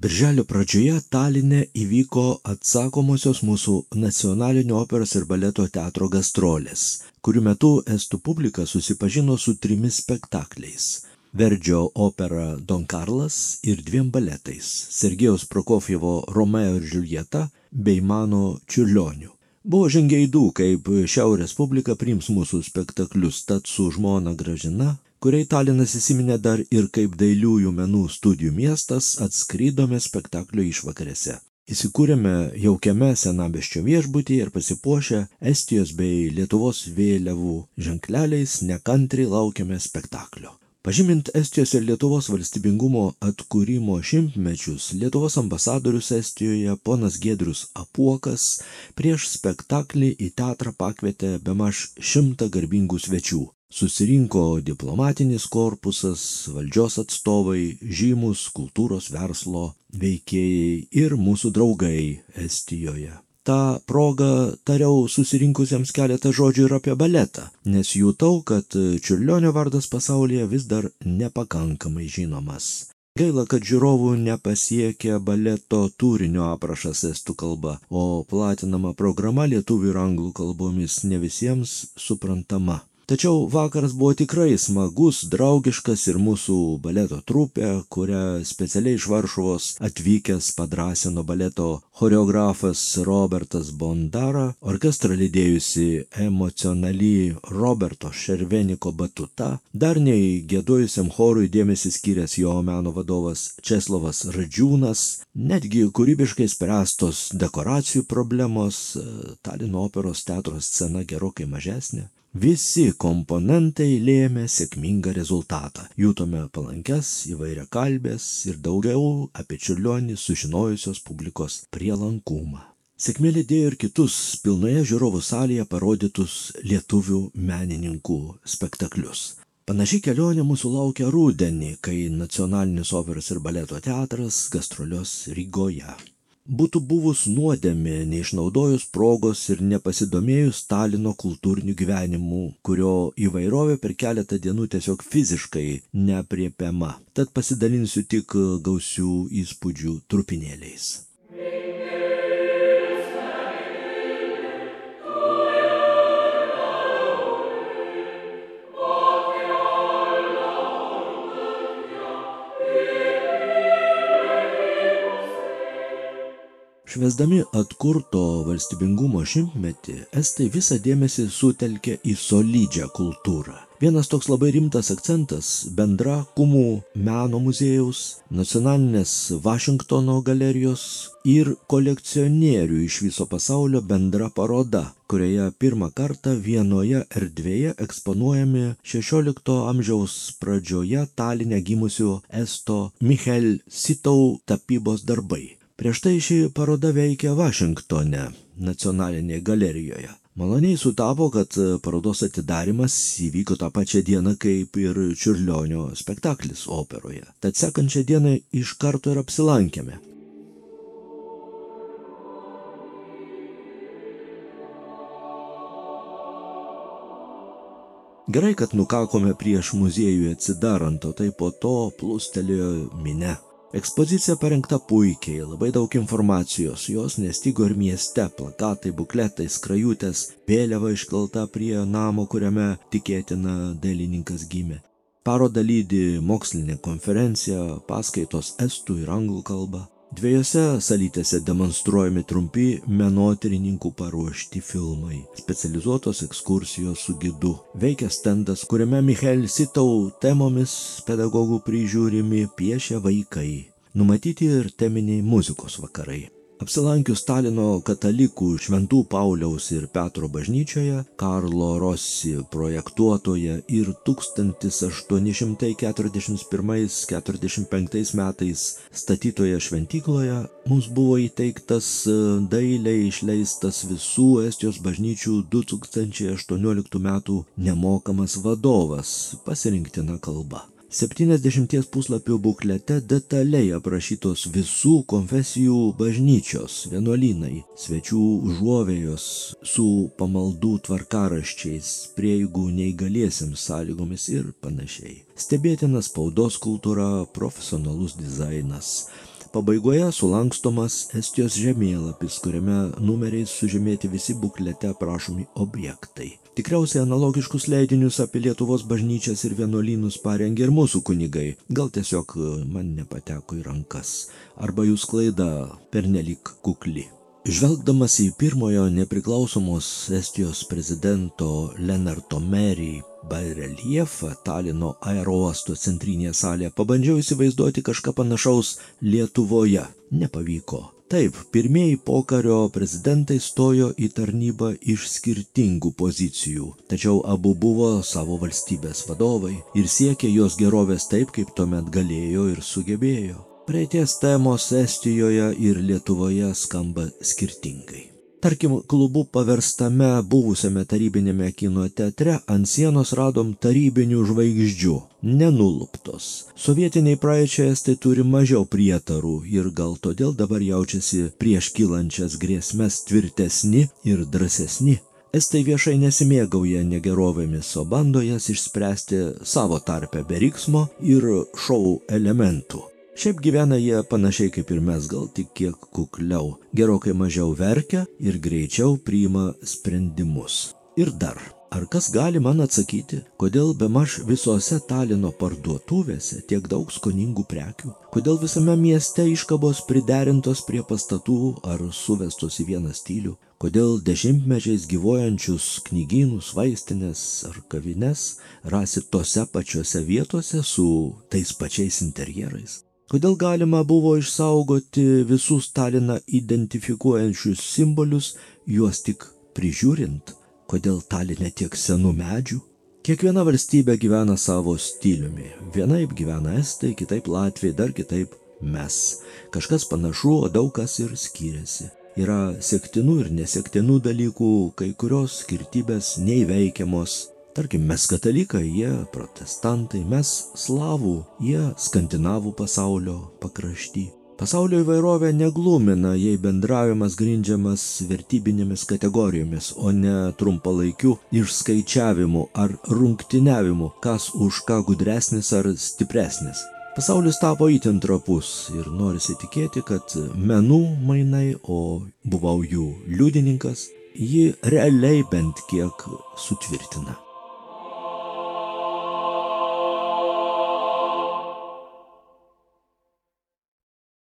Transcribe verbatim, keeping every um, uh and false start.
Birželio pradžioje Taline įvyko atsakomosios mūsų nacionalinio operos ir baleto teatro gastrolės, kurių metu estų publika susipažino su trimis spektakliais. Verdžio opera Don Karlas ir dviem baletais – Sergejaus Prokofjevo Romeo ir Džiuljeta bei mano Čiurlionių. Buvo žingeidų, kaip Šiaurės publika priims mūsų spektaklius, tad su žmona Gražina, kuriai Talinas įsiminė dar ir kaip dailiųjų menų studijų miestas, atskridome spektaklio išvakarėse. Įsikūrėme jaukiame senamiesčio viešbutyje ir pasipuošę Estijos bei Lietuvos vėliavų ženkleliais nekantriai laukiame spektaklio. Pažymint Estijos ir Lietuvos valstybingumo atkūrimo šimtmečius, Lietuvos ambasadorius Estijoje ponas Giedrius Apuokas prieš spektaklį į teatrą pakvietė bemaž šimtą garbingų svečių. Susirinko diplomatinis korpusas, valdžios atstovai, žymus kultūros verslo veikėjai ir mūsų draugai Estijoje. Ta proga tariau susirinkusiems keletą žodžių ir apie baletą, nes jutau, kad Čiurlionio vardas pasaulyje vis dar nepakankamai žinomas. Gaila, kad žiūrovų nepasiekia baleto turinio aprašas estų kalba, o platinama programa lietuvių ir anglų kalbomis ne visiems suprantama. Tačiau vakaras buvo tikrai smagus, draugiškas ir mūsų baleto trupė, kurią specialiai iš Varšuvos atvykęs padrąsino baleto choreografas Robertas Bondara, orkestrą lydėjusi emocionali Roberto Šerveniko batuta, dar nei giedojusiam chorui dėmesį skyręs jo meno vadovas Česlovas Radžiūnas, netgi kūrybiškai spręstos dekoracijų problemos, Talino operos teatro scena gerokai mažesnė. Visi komponentai lėmė sėkmingą rezultatą. Jutome palankias įvairiakalbės ir daugiau apie Čiurlionį sužinojusios publikos prielankumą. Sėkmė lydėjo ir kitus pilnoje žiūrovų salėje parodytus lietuvių menininkų spektaklius. Panaši kelionė mūsų laukia rudenį, kai Nacionalinis operos ir baleto teatras gastrolios Rygoje. Būtų buvus nuodėmė neišnaudojus progos ir nepasidomėjus Talino kultūriniu gyvenimu, kurio įvairovė per keletą dienų tiesiog fiziškai neapriepiama. Tad pasidalinsiu tik gausių įspūdžių trupinėliais. Švęsdami atkurto valstybingumo šimtmetį, estai visą dėmesį sutelkė į solidžią kultūrą. Vienas toks labai rimtas akcentas – bendra Kumų meno muziejaus, nacionalinės Vašingtono galerijos ir kolekcionierių iš viso pasaulio bendra paroda, kurioje pirmą kartą vienoje erdvėje eksponuojami šešiolikto amžiaus pradžioje Taline gimusio esto Michael Sitau tapybos darbai. Prieš tai ši paroda veikia Vašingtone, nacionalinėje galerijoje. Maloniai sutapo, kad parodos atidarymas įvyko tą pačią dieną kaip ir Čiurlionio spektaklis operoje. Tad sekančią dieną iš karto ir apsilankėme. Gerai, kad nukakome prieš muziejų atsidarant, o tai po to plūstelėjo minia. Ekspozicija parengta puikiai, labai daug informacijos, jos nestigo ir mieste, plakatai, bukletai, skrajutės, vėliava iškelta prie namo, kuriame tikėtina dailininkas gimė. Parodą lydi mokslinė konferencija, paskaitos estų ir anglų kalba. Dviejose salytėse demonstruojami trumpi menotyrininkų paruošti filmai, specializuotos ekskursijos su gidu. Veikia stendas, kuriame Michael Sitau temomis pedagogų prižiūrimi piešia vaikai. Numatyti ir teminiai muzikos vakarai. Apsilankius Talino katalikų Šventų Pauliaus ir Petro bažnyčioje, Karlo Rossi projektuotoje ir tūkstantis aštuoni šimtai keturiasdešimt pirmais keturiasdešimt penktais metais statytoje šventykloje, mums buvo įteiktas dailiai išleistas visų Estijos bažnyčių du tūkstančiai aštuonioliktų metų nemokamas vadovas pasirinktina kalba. septyniasdešimties puslapių buklete detaliai aprašytos visų konfesijų bažnyčios, vienuolynai, svečių užuovėjos su pamaldų tvarkaraščiais, prieigų neįgaliesiems sąlygomis ir panašiai. Stebėtina spaudos kultūra, profesionalus dizainas. pabaigoje sulankstomas Estijos žemėlapis, kuriame numeriais sužymėti visi buklete aprašomi objektai. Tikriausiai analogiškus leidinius apie Lietuvos bažnyčias ir vienuolynus parengė ir mūsų kunigai, gal tiesiog man nepateko į rankas, arba jų sklaida pernelyg kukli. Žvelgdamas į pirmojo nepriklausomos Estijos prezidento Lennarto Meri bareliefą Talino aerouosto centrinėje salėje, pabandžiau įsivaizduoti kažką panašaus Lietuvoje. Nepavyko. Taip, pirmieji pokario prezidentai stojo į tarnybą iš skirtingų pozicijų, tačiau abu buvo savo valstybės vadovai ir siekė jos gerovės taip, kaip tuomet galėjo ir sugebėjo. Praeities temos Estijoje ir Lietuvoje skamba skirtingai. Tarkim, klubu paverstame buvusiame tarybinėme kino teatre ant sienos radom tarybinių žvaigždžių, nenuluptos. Sovietiniai praeičiai estai turi mažiau prietarų ir gal todėl dabar jaučiasi prieš kylančias grėsmes tvirtesni ir drąsesni. Estai viešai nesimėgauja negerovėmis, o bando jas išspręsti savo tarpe be riksmo ir šou elementų. Šiaip gyvena jie panašiai kaip ir mes, gal tik kiek kukliau, gerokai mažiau verkia ir greičiau priima sprendimus. Ir dar, ar kas gali man atsakyti, kodėl bemaž visose Talino parduotuvėse tiek daug skoningų prekių, kodėl visame mieste iškabos priderintos prie pastatų ar suvestos į vieną stilių, kodėl dešimtmečiais gyvuojančius knygynus, vaistinės ar kavines rasi tose pačiose vietose su tais pačiais interjerais. Kodėl galima buvo išsaugoti visus Taliną identifikuojančius simbolius, juos tik prižiūrint? Kodėl Taline tiek senų medžių? Kiekviena valstybė gyvena savo stiliumi. Vienaip gyvena estai, kitaip latviai, dar kitaip mes. Kažkas panašu, o daug kas ir skiriasi. Yra sektinų ir nesektinų dalykų, kai kurios skirtybės neįveikiamos. Tarkim, mes katalikai, jie protestantai, mes slavų, jie skandinavų pasaulio pakrašty. Pasaulio įvairovė neglumina, jei bendravimas grindžiamas vertybinėmis kategorijomis, o ne trumpalaikiu išskaičiavimu ar rungtyniavimu, kas už ką gudresnis ar stipresnis. Pasaulis tapo itin trapus ir norisi tikėti, kad menų mainai, o buvau jų liudininkas, jį realiai bent kiek sutvirtina.